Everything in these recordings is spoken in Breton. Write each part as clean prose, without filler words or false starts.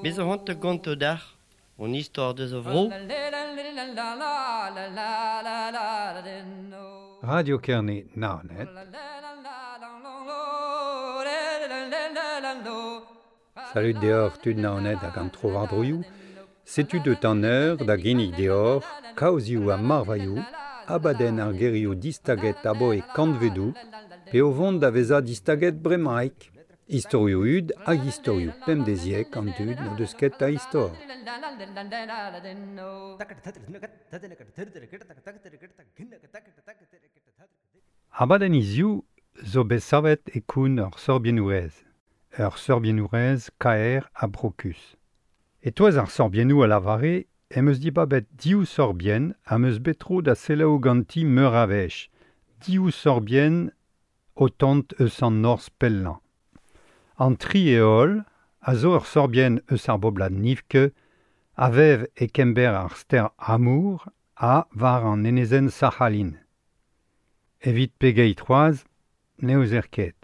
Me zo c'hoant da gontañ deoc'h hon istor deus a vro. Radio Kerne Naoned. Salud deoc'h tud Naoned hag an trowardroioù. Setu deut an eur da ginnig deoc'h kaozioù ha marvailhoù, abadenn ar gerioù distaget aboe kantvedoù, pe o vont da vezañ distaget bremaik. Istorioù hud hag istorioù pemdeziek an dud n'o deus ket a istor. Abadenn hiziv zo bet savet e koun ur sorbiennourez. Ur sorbiennourez kaer ha brokus. E-touez ar sorbiennoù a lavare em eus dibabet div sorbienn am eus bet tro da selaou ganti meur a wech. Div sorbienn o tont eus an norzh pellañ. An tri heol a zo ur sorbienn eus ar boblad Nivke a vev e kember ar stêr Amour ha war an enezenn Sac'halin. Evit pegeit c'hoazh ne ouzer ket.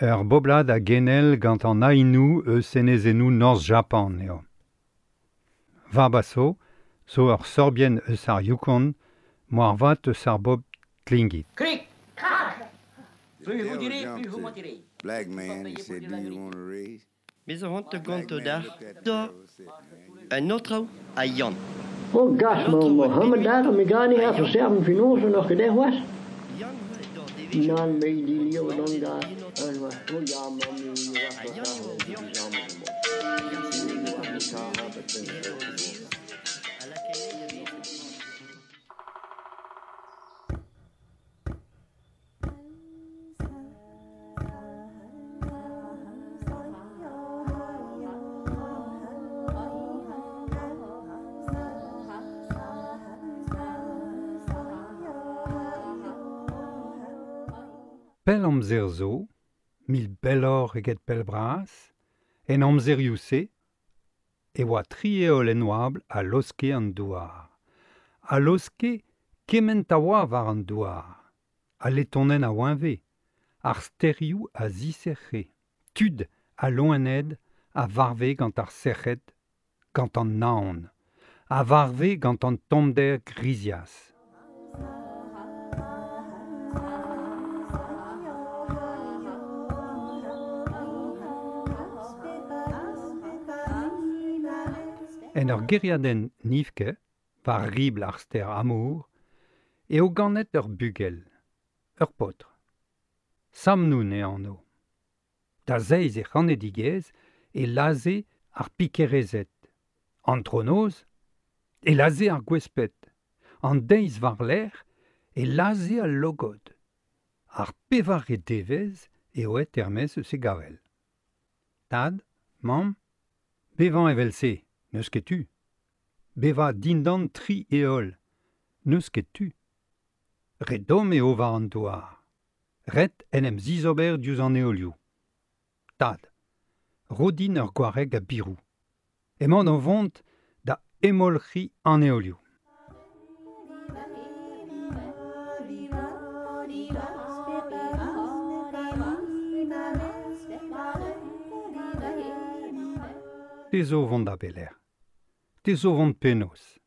Ur boblad a genel gant an Ainu eus enezennoù Norzh Japan eo. Varbaso zo ur sorbienn eus ar Yukon moarvat eus ar bobl Tlingit. Krik, krak! Plus vous direz, plus vous mentirez. Black man, he said, do you want a raise? Me zo c'hoant da Black gontañ man deoc'h looked at the da girl and said, man, you un aotrou ha Yann. Oh gas, An ma aotrou a Mohammed bep daar, me ga niet ha even Yann. serven finozen nog gedaan was. Yann eo d'ar devezhioù Nan, me die an leeuw dan naoned daar. en En was, oh ja, man, nu was Ha dat Yann daar, eo die Yann. samen Yann Nu se was degouezh het daar, an heb het e in. eno ar vez a lakae da vez. Pell amzer zo, mil belloc'h eget pell bras, en amzerioù-se, e oa tri heol en oabl a loske an douar. A loske kement a oa war an douar. A letonenn a oañve, ar stêrioù a ziserc'he, tud a loened a varve gant ar sec'hed, gant an naon, a varve gant an tommder grizias. En ur gêriadenn Nivke, war ribl ar stêr Amour, eo ganet ur bugel, ur paotr. Samnoun eo anv. Da zeiz e c'hanedigezh e lazhe ar pikerezed. An tronoz e lazhe ar gwesped. An deiz war-lerc'h e lazhe al logod. Ar pevare devezh eo aet er-maez eus e gavell. Tad, mamm, bevañ evel-se, n'eus ket tu. Bevañ dindan tri heol, n'eus ket tu. Re domm eo war an douar. Ret en em zizober diouzh an heolioù. Tad, ro din ur gwareg a biroù. Emañ o vont da hemolc'hiñ an heolioù. Te zo vont da belec'h. Te zo vont penaos.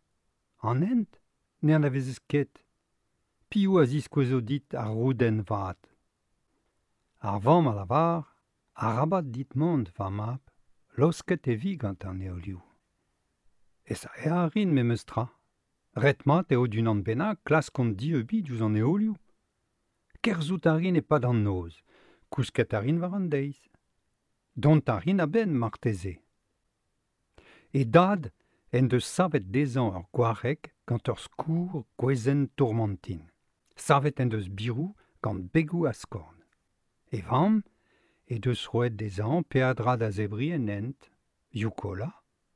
An hent ne anavezez ket. Piv a ziskouezo dit ar roudenn vat. Ar vamm a lavar, arabat dit mont, va mab, laosket e vi gant an heolioù. Ez a a rin memes tra. Ret mat eo d'unan bennak klask an dieubiñ diouzh an heolioù. Kerzhout a rin e-pad an noz, kousket a rin war an deiz. Dont a rin a-benn marteze. E dad en deus savet dezhañ ur gwareg gant ur skourr gwezenn tourmantin. Savet en deus biroù gant begoù askorn. E vamm he deus roet dezhañ peadra da zebriñ en hent, yukola,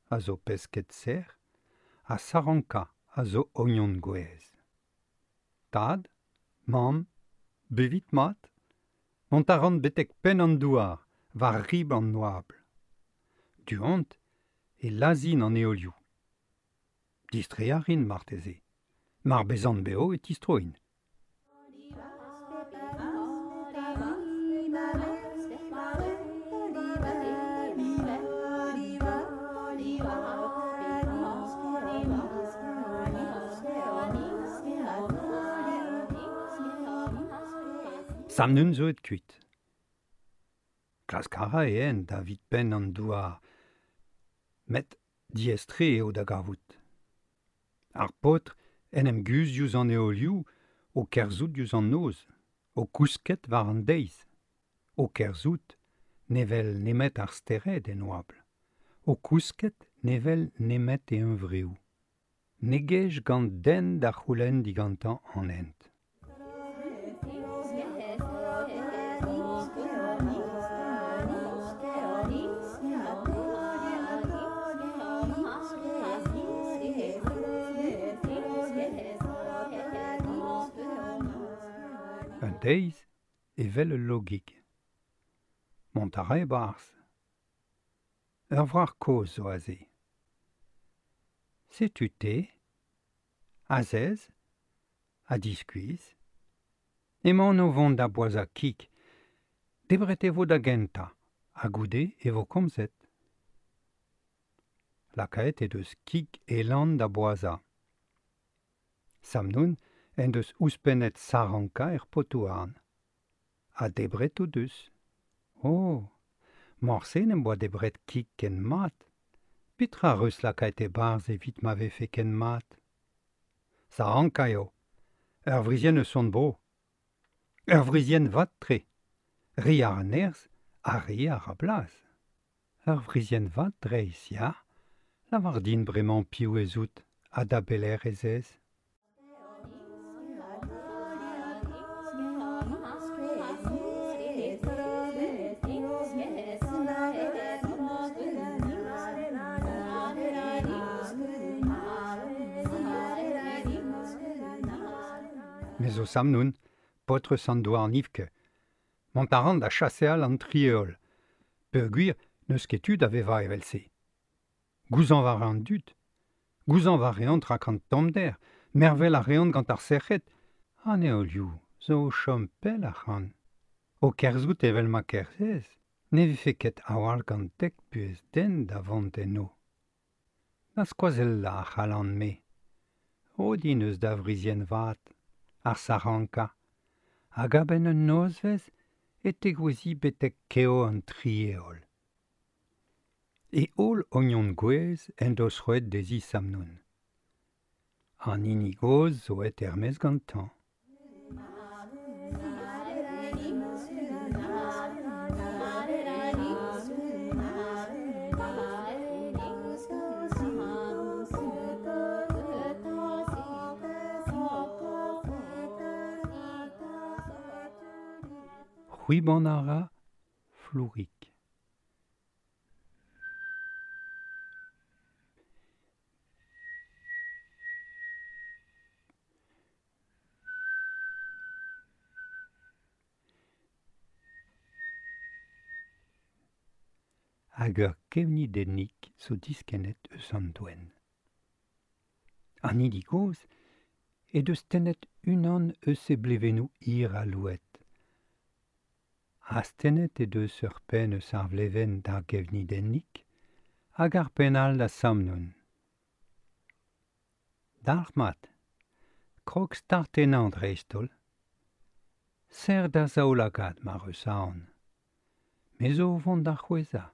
a zo pesked sec'h, ha saranka a zo ognon gouez. Tad, mamm, bevit mat, mont a ran betek penn an douar, war ribl an oabl. Du-hont e lazhin an heolioù. Distreiñ a rin marteze. Mar bezan bev e tistroin. Samnun zo et kuit. Klask a ra e hent evit penn an douar, met diaes-tre eo da gavout. Ar paotr en em guzh diouzh an heolioù o kerzhout diouzh an noz, o kousket war an deiz, o kerzhout ne wel nemet ar stered en oabl, o kousket ne wel nemet e huñvreoù. Ne gej gant den da c'houlenn digantañ an hent. Un deiz evel ul logig. Mont a ra e-barzh. Ur wrac'h kozh zo aze. Setu te, azez, ha diskuizh. Emaon o vont da boazhañ kig. Debret e vo da gentañ, ha goude e vo komzet. Lakaet he deus kig elan da boazhañ. Samnoun en deus ouzhpennet sarankañ er potoù-houarn. Ha debret o deus. Oh, morse n'em boa debret kig ken mat. Petra 'reus lakaet e-barzh evit ma vefe ken mat? Sarankañ eo. Ur wrizienn eus hon bro. Ur wrizienn vat-tre. Re a ra nerzh ha re a ra blaz. Ur wrizienn vat dreist, ya. Lavar din bremañ piv ez out ha da belec'h ez ez. Me zo Samnoun, paotr eus an Douarnivke. Mont a ran da chaseal an tri heol. Peogwir n'eus ket tu da vevañ evel-se. Gouzañv a ra an dud. Gouzañv a reont rak an tommder, mervel a reont gant ar sec'hed. An heolioù zo o chom pell ac'hann. O kerzhout evel ma kerzhez, ne vefe ket a-walc'h gant dek buhez den da vont eno. Da skoazellañ a c'hallan-me. Ro din eus da wrizienn vat, ar sarankañ, hag a-benn un nozvezh e tegouezhi betek kev an tri heol. E holl ognon gouez en deus roet dezhi Samnoun. An hini gozh zo aet er-maez gantañ. C'hwiban a ra flourik. Hag ur gevnidennig zo diskennet eus an doenn. An hini gozh he deus tennet unan eus he blevennoù hir ha louet. Astennet he deus ur penn eus ar vlevenn d'ar gevnidennig hag ar penn all da Samnoun. Dalc'hmat, krog start ennañ dreist-holl. Serr da zaoulagad mar eus aon. Me zo o vont da c'hwezhañ.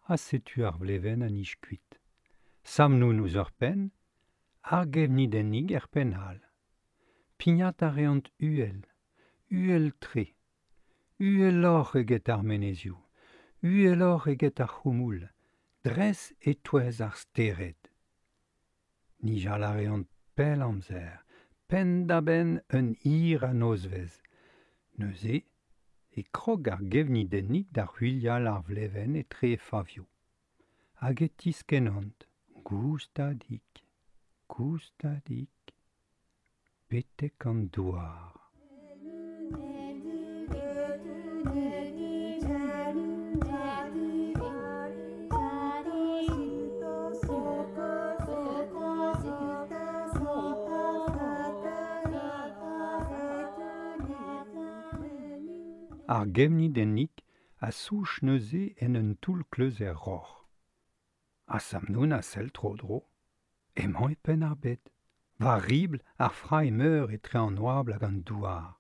Ha setu ar vlevenn a nij kuit. Samnoun ouzh ur penn, ar gevnidennig er penn all. Pignat a reont uhel, uhel-tre, uheloc'h eget ar menezioù, uheloc'h eget ar c'houmoul, dres e-touez ar stered. Nijal a reont pell amzer, penn-da-benn un hir a nozvezh. Neuze e krog ar gevnidennig da ruilhal ar vlevenn etre he favioù. Hag e tiskennont, goustadik, goustadik, betek an douar. Ar gevnidennig a souch neuze en un toull kleuz er roc'h. Ha Samnoun a sell tro-dro. Emañ e penn ar bed. War ribl ar frailh meur etre an oabl hag an douar.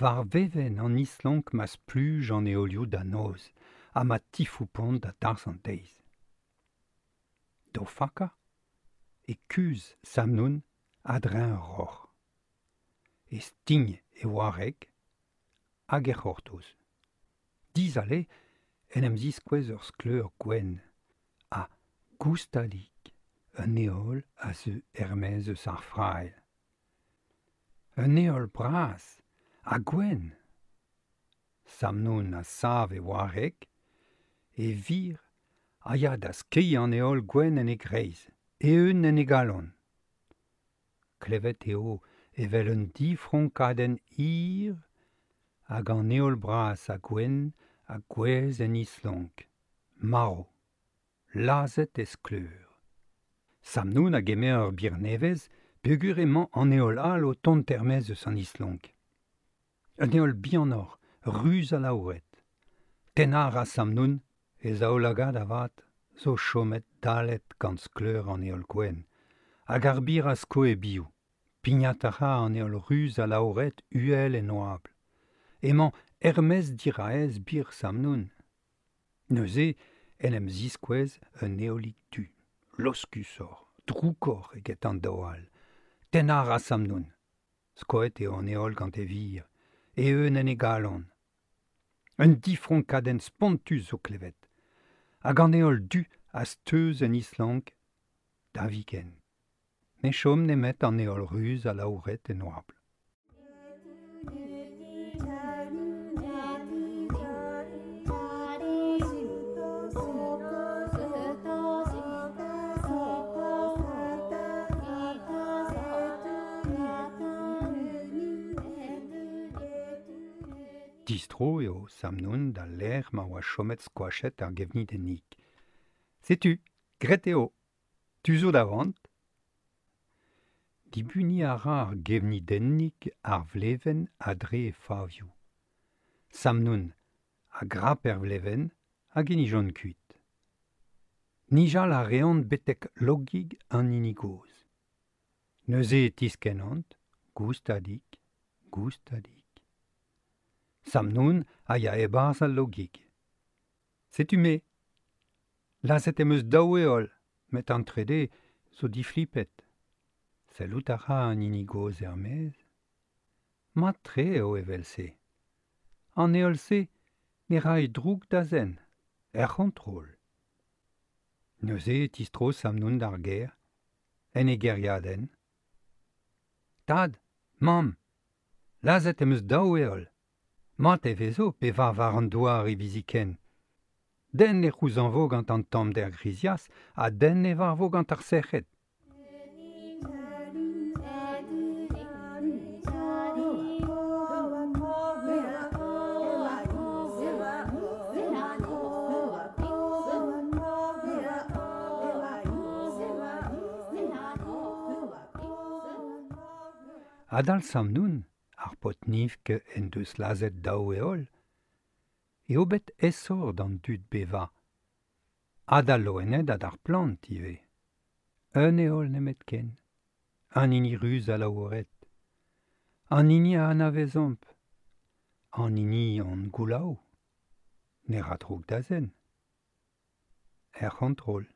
War vevenn an islonk ma spluj an heolioù da noz ha ma tifoupont da darzh an deiz. D'o fakañ e kuzh Samnoun a-dreñv ur roc'h. E stign e wareg hag e c'hortoz. Dizale en em ziskouez ur skleur gwenn ha goustadik un heol a zeu er-maez eus ar frailh. Un heol bras ha gwenn. Samnoun a sav e wareg, e vir a ya da skeiñ an heol gwenn en e greiz, eeun en e galon. Klevet eo evel un difronkadenn hir hag an heol bras ha gwenn a gouezh en islonk, marv, lazhet e skleur. Samnoun a gemer ur bir nevez peogwir emañ an heol all o tont er-maez eus an islonk. Un heol bihanoc'h, ruz alaouret. Tennañ a ra Samnoun e zaoulagad avat zo chomet dallet gant skleur an heol gwenn, hag ar bir a sko e-biou. Pignat a ra an heol ruz alaouret uhel en oabl. Emañ er-maez diraez bir Samnoun. Neuze en em ziskouez un heolig du, loskusoc'h, droukoc'h eget an daou all. Tennañ a ra Samnoun. Skoet eo an heol gant e vir, eeun en e galon. Un difronkadenn spontus zo klevet, hag an heol du a steuz en islonk da viken. Ne chom nemet an heol ruz alaouret en oabl. Distro eo Samnoun d'al lec'h ma oa chomet skoachet ar gevnidennig. Setu, graet eo. Tu zo da vont. Dibuniñ a ra ar gevnidennig ar vlevenn a-dre e favioù. Samnoun a grap er vlevenn hag e nijont kuit. Nijal a reont betek logig an hini gozh. Neuze e tiskennont, goustadik, goustadik. Samnoun a ya e-barzh al logig. Setu me. Lazhet em eus daou heol, met an trede zo diflipet. Sellout a ra an hini gozh er-maez. Mat-tre eo evel-se. An heol-se ne ray droug da zen, er c'hontrol. Neuze e tistro Samnoun d'ar gêr, en e gêriadenn. Tad, mamm, lazhet em eus daou heol. Mat e vezo pe va war an douar hiviziken. Den ne c'houzañvo gant an tommder grizias ha den ne varvo gant ar sec'hed. Adal Samnoun, ar paotr-nivk en deus lazhet daou heol, eo bet aesoc'h d'an dud bevañ, ha d'al loened ha d'ar plant ivez. Un heol nemetken, an hini ruz alaouret, an hini a anavezomp, an hini hon goulaou, ne ra droug da zen. Er c'hontrol.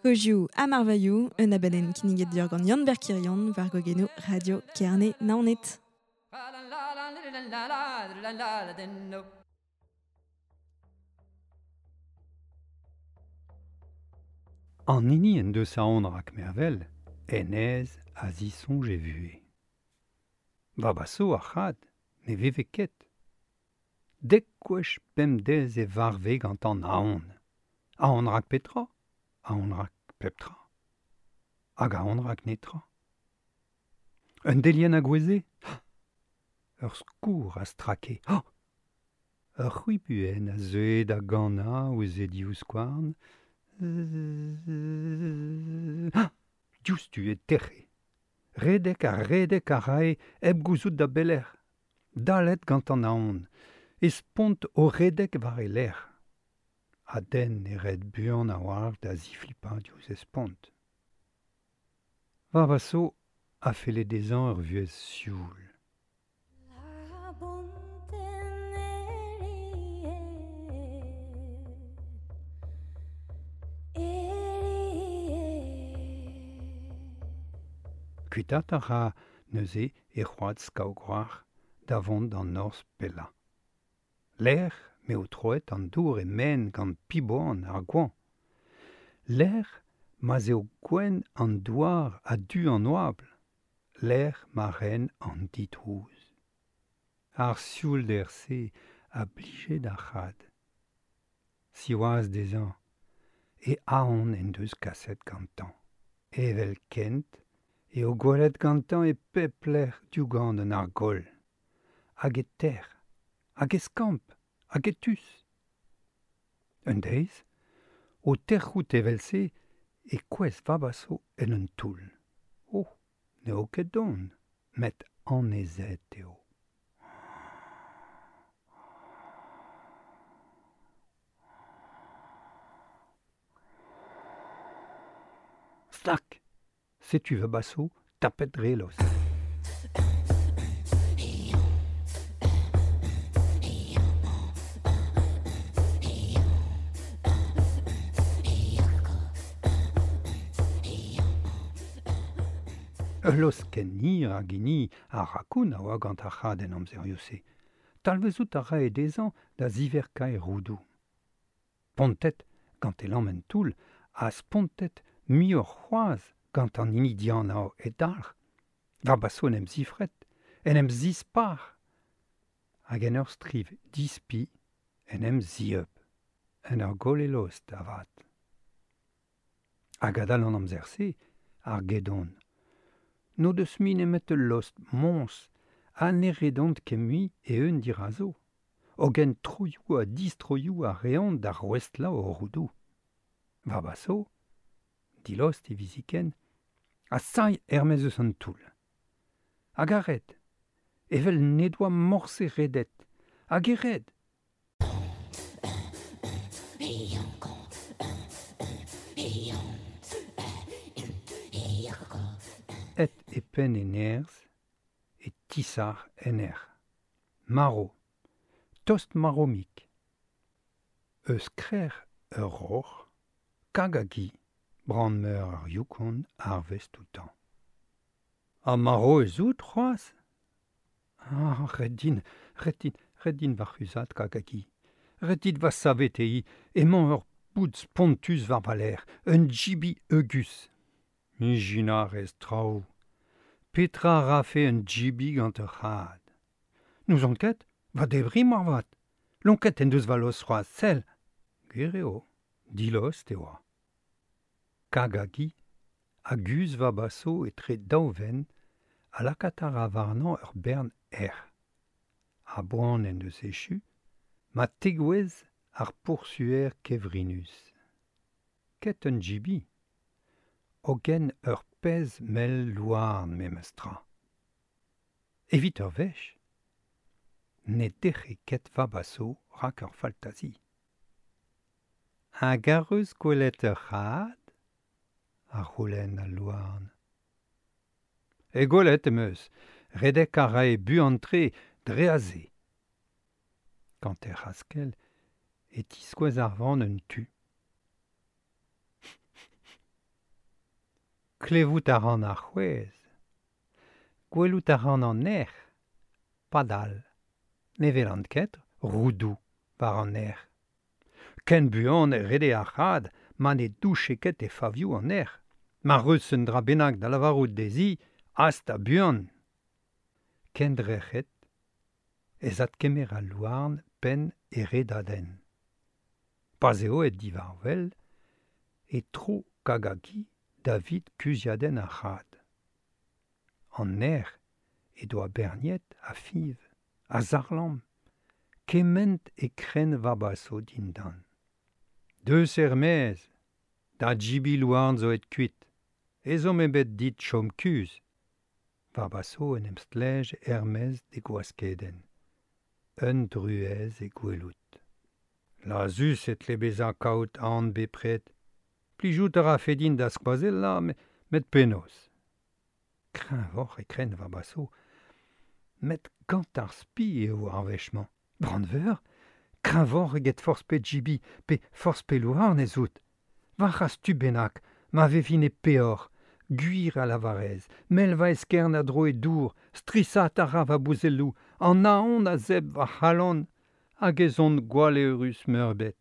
Kozioù ha marvailhoù, un abadenn kinniget deoc'h gant Yann Berkirion war gogenoù Radio Kerne Naoned. An hini en deus aon rak mervel, hennezh a zisoñj e vuhez. Vabaso ar c'had ne veve ket. Dek gwech bemdez e varve gant an aon. Aon rak petra? Aon rak pep tra. Hag aon rak netra. Un delienn a goueze? Ur skourr a strake. Ur c'hwibuenn a zeue da ganañ ouzh e divskouarn. Diouzhtu e tec'he. Redek ha redek a rae hep gouzout da belec'h. Dalet gant an aon. E spont o redek war e lerc'h. Ha den ne red buan a-walc'h da ziflipañ diouzh e spont. Vabaso a felle dezhañ ur vuhez sioul. Kuitaat a ra neuze e c'hoad skaogroac'h da vont d'an norzh pellañ. Lec'h m'eo troet an dour e-maen gant piboan ar goañv. Lec'h ma'z eo gwenn an douar ha du an oabl. Lec'h ma ren an didrouz. Ar sioulder-se a blije d'ar c'had. Siwazh dezhañ, e aon en deus kaset gantañ. Evelkent eo gwelet gantañ e pep lec'h diougant an argoll. Hag e tec'h, hag e skamp, hag e tus. Un deiz, o tec'hout evel-se e kouezh Vabaso en un toull. Oh, n'eo ket don, met annezet eo. Stak! Setu Vabaso tapet dre lost. Ul lost ken hir hag hini ar rakoun a oa gant ar c'had en amzerioù-se. Talvezout a rae dezhañ da ziverkañ e roudoù. Pontet gant e lamm en toull ha spontet muioc'h c'hoazh gant an hini dianav e dalc'h. Vabaso en em zifret, en em zispar. Hag en ur striv dispi en em zieub, en ur goll e lost avat. Hag adal an amzer-se, ar gedon. N'o deus mui nemet ul lost moñs ha ne redont ket mui e-eun dirazo. Hogen troioù ha distroioù a reont da rouestlañ o roudoù. Vabaso, dilost hiviziken, a sailh er-maez eus an toull. Hag a red, evel n'he doa morse redet, hag e red. Et e penn e nerzh, e tisac'h en erc'h. Marv, tost marv-mik. Eus krec'h ur roc'h, kag hag hi, brand-meur ar Yukon arvest outañ. Ha marv ez out c'hoazh? Ah, ret din, ret din, ret din va c'huzhat kag hag hi. Ret dit va saveteiñ, emañ ur boud spontus war va lerc'h, un jibi heugus. Ijinañ a rez traoù. Petra a rafe un jibi gant ur c'had? N'ouzon ket, va debriñ moarvat. Lonket en deus va lost c'hoazh, sell. Gwir eo, dilost e oa. Kag hag hi a guzh Vabaso etre daou venn ha lakaat a ra warnañ ur bern erc'h. A-boan en deus echu ma tegouezh ar poursuer kevrinus. Ket un jibi, hogen ur pezh mell louarn memes tra. Evit ur wech, ne dec'he ket Vabaso rak ur faltazi. Hag ar eus gwelet ur c'had? A c'houlenn al louarn. E gwelet em eus, redek a rae buan-tre dre aze. Gant hec'h askell E tiskouez ar vran un tu. Klevout a ran ar c'hwez. Gwelout a ran an erc'h. Padal. Ne welan ket roudou war an erc'h. Ken buan e rede ar c'had ma ne douche ket e favioù an erc'h. Ma reus un dra bennak da lavarout dezhi, ast a buan. Kendrec'het, ez adkemer al louarn penn e redadenn. Pa'z eo et divarvel, e tro kagagi David kuziadenn ar c'had. An erc'h e doa berniet a fiv, a zarlamm, kement e kren Vabaso dindan. Deus er-maez, da Jibi louarn zo et kuit, ezhomm ebet dit chom kuzh. Vabaso en em stlej er-maez d'e gwaskedenn. Un druez e gwelout. Lazus e tle bezañ kaout aon bepred. Plijout a ra fedin da skoazellañ, met penaos. Kreñvoc'h e kren Vabaso, met gant ar spi eo ar wech-mañ. Brandveur, kreñvoc'h eget forzh pe Jibi pe forzh pe louarn ez out. War c'has tu bennak, ma vevin e peoc'h, gwir a lavarez, mel va eskern a dro e dour, strisat a ra va bouzelloù, an aon a zeb va c'halon, hag ez on gwalleurus meurbet.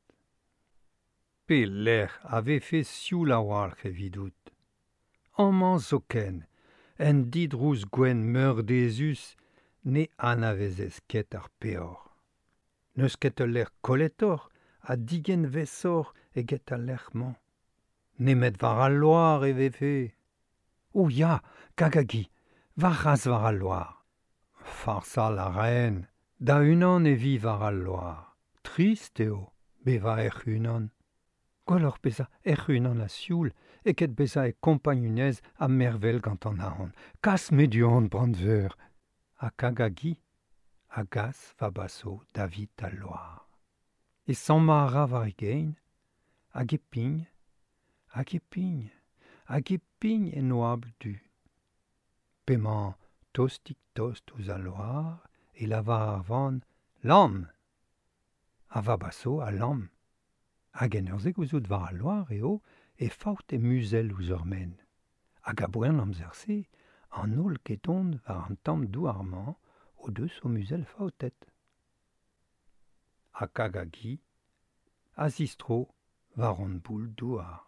Pe lec'h a vefe sioul a-walc'h evidout. Amañ zoken, en didrouz gwenn meurdezus, ne anavezez ket ar peoc'h. N'eus ket ul lec'h kolletoc'h ha digenvesoc'h eget al lec'h-mañ. Nemet war al loar e vefe. O ya, kagagi, war c'has war al loar. Farsal a raen, da unan e vi war al loar. Trist eo, bevañ hec'h unan. Gwelloc'h bezañ hec'h unan a sioul eket bezañ e kompagnunez ha mervel gant an aon. Kas me du-hont, Brandveur. Ha kagagi a gas Vabaso David al loar. E sammañ a ra war e gein, hag e pign, hag e pign, hag e pign en oabl du. P'emañ tostik-tost ouzh al loar e lavar ar van lamm. Ha Vabaso a lamm. Hag en ur zegouzout war al loar eo e faot e muzell ouzh ur men. Hag a-boan an amzer-se, an holl gedon war an tamm douar-mañ o deus o muzell faotet. Ha kagagi a zistro war an boul douar.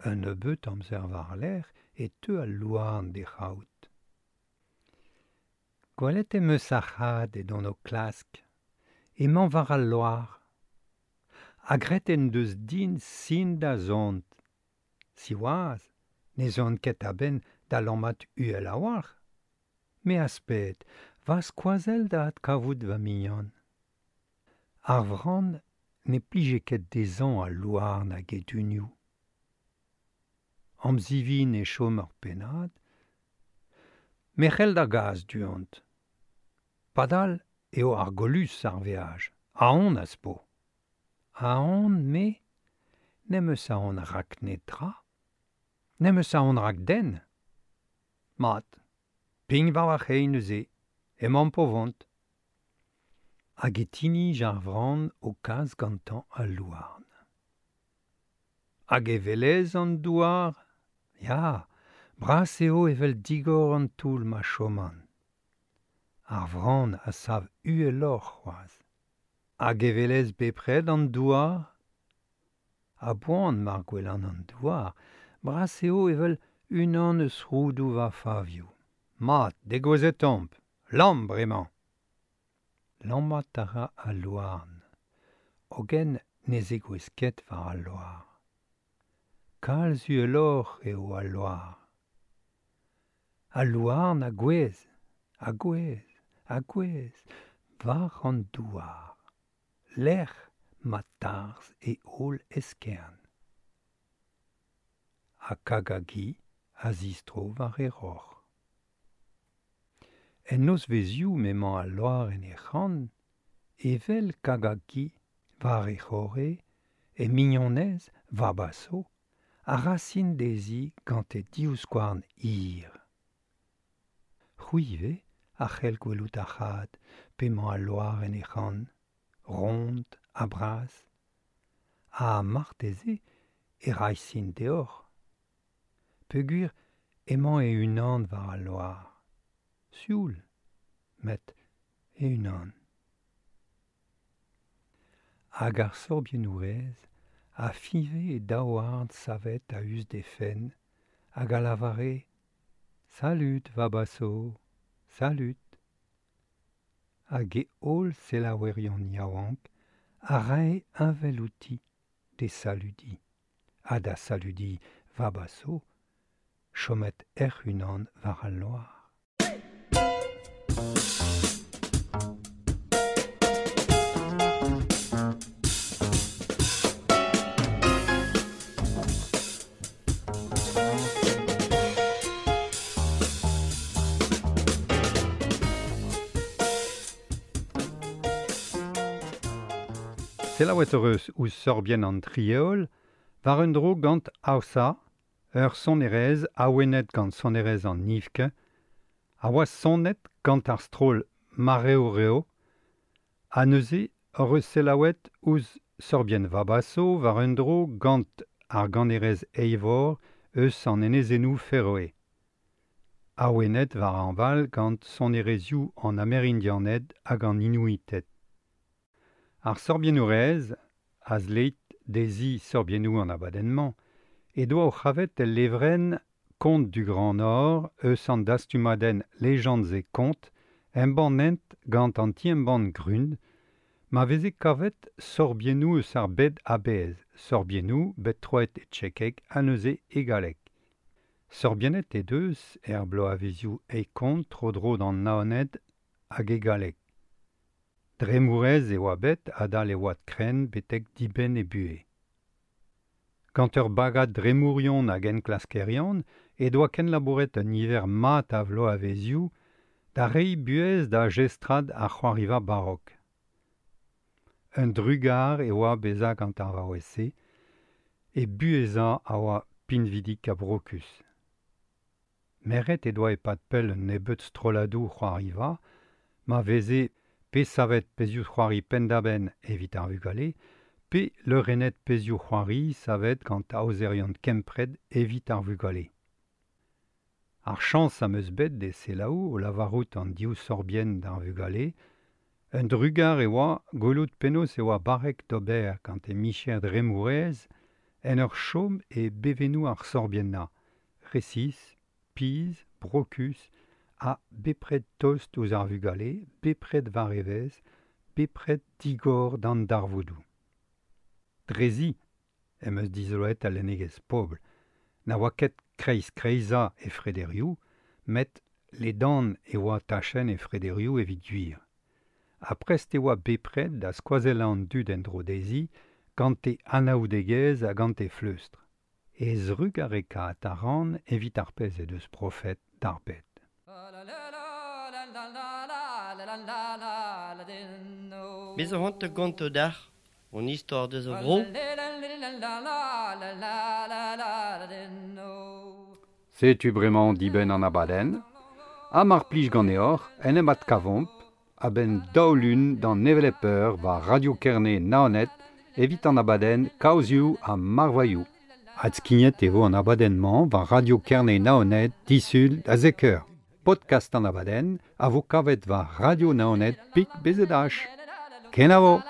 Un nebeut amzer war-lerc'h e teu al louarn d'e c'haout. Gwelet em eus ar c'had edon o klask, emañ war al loar. Ha graet en deus din sin da zont. Siwazh, ne zon ket a-benn da lammat uhel a-walc'h. Me asped, va skoazell da adkavout va mignon. Ar vran ne plije ket dezhañ al louarn hag e dunioù. Amzivin e chom ur pennad, mec'hell da gas du-hont. Padal eo ar golus ar veaj, aon az po. Aon, me, n'em eus aon rak netra, n'em eus aon rak den. Mat, pign war ar c'hein neuze, emañ po vont. Hag e tinij ar vran o kas gantañ al louarn. Hag e welez an douar? Ya, bras eo evel digor an toull ma choman. Ar vran a sav uheloc'h c'hoazh. Hag e welez bepred an douar? A-boan mar gwelan an douar, bras eo evel unan eus roudoù va favioù. Mat, degouezhet omp, lamm bremañ. Lammat a ra al louarn. Hogen ne zegouezh ket war al loar. Kalz uheloc'h eo al loar. Al louarn a gouezh, a gouezh, a gouezh, war an douar. Lec'h ma tarzh e holl eskern. Ha kagagi a zistro war e roc'h. En nozvezioù m'emañ al loar en he c'han, evel kagagi war e c'horre, e mignonez Vabaso a rasin dezi gant e divskouarn hir. C'hwi ivez a c'hell gwelout ar c'had p'emañ al loar en he c'han, ront ha bras. Ha marteze e ray sin deoc'h. Peogwir emañ e-unan war al loar. Sioul, met e-unan. Hag ar sorbiennourez a fiñve e daouarn savet a-us d'he fenn hag a lavare Salud, Vabaso, salud. Hag e holl selaouerion yaouank a rae heñvel outi d'e saludiñ ha da saludiñ Vabaso chomet hec'h-unan war al loar. Selaouet hoc'h eus ouzh sorbienn an Trieol war un dro gant Aosa, ur sonerezh awenet gant sonerezh an Nivke, a oa sonet gant ar stroll Mareoreo, ha neuze hoc'h eus selaouet ouzh sorbienn Vabaso war un dro gant ar ganerez Eivor eus an enezennoù Feroe. Awenet war hañval gant sonerezhioù an Amerindianed hag an Inuited. Ar sorbiennourez, a zleit dezhi sorbiennoù an abadenn-mañ, he doa o c'havet el levrenn Contes du Grand Nord eus an dastumadenn Légendes et Contes embannet gant an ti-embann Grün, ma veze kavet sorbiennoù eus ar bed a-bezh, sorbiennoù bet troet e tchekeg ha neuze e galleg. Sorbiennet he deus er bloavezioù eikont tro-dro d'an Naoned hag e galleg. Dremourez e oa bet adal e oad krenn betek dibenn he buhez. Gant ur bagad dremourion hag enklaskerion he doa kenlabouret un niver mat a vloavezioù da reiñ buhez da jestrad ar c'hoariva barok. Un drugar e oa bezañ gant ar vaouez-se, he buhezañ a oa pinvidik ha brokus. Meret he doa e-pad pell un nebeud strolladoù c'hoariva ma veze pe savet pezhioù-c'hoari penn-da-benn evit ar vugale, pe leurennet pezhioù-c'hoari savet gant aozerion kempred evit ar vugale. Ar chañs am eus bet d'e selaou o lavarout an div sorbienn d'ar vugale, un drugar e oa gwelout penaos e oa barrek d'ober gant e micher dremourez en ur chom e bevennoù ar sorbiennañ, resis, pizh, brokus, ha bepred tost ouzh ar vugale, bepred war evezh, bepred digor d'an darvoudoù. Drezi em eus dizoloet al lennegezh pobl, na oa ket kreiz-kreizañ he frederioù, met ledan e oa tachenn he frederioù evit gwir. Ha prest e oa bepred da skoazellañ an dud en-dro dezhi gant he anaoudegezh ha gant he fleustr. He zrugarekaat a ran evit ar pezh he deus profet d'ar bed. Me zo c'hoant da gontañ deoc'h hon istor deus ar vro. Setu bremañ dibenn an abadenn. Ha mar plij ganeoc'h en em adkavomp a-benn daou lun d'an hevelep eur war Radio Kerne Naoned evit an abadenn Kaozioù ha Marvailhoù. Adskignet e vo an abadenn-mañ war Radio Kerne Naoned disul da zek eur. Podcast an abadenn a vo kavet war Radio Naoned pik BZH. Kenavo!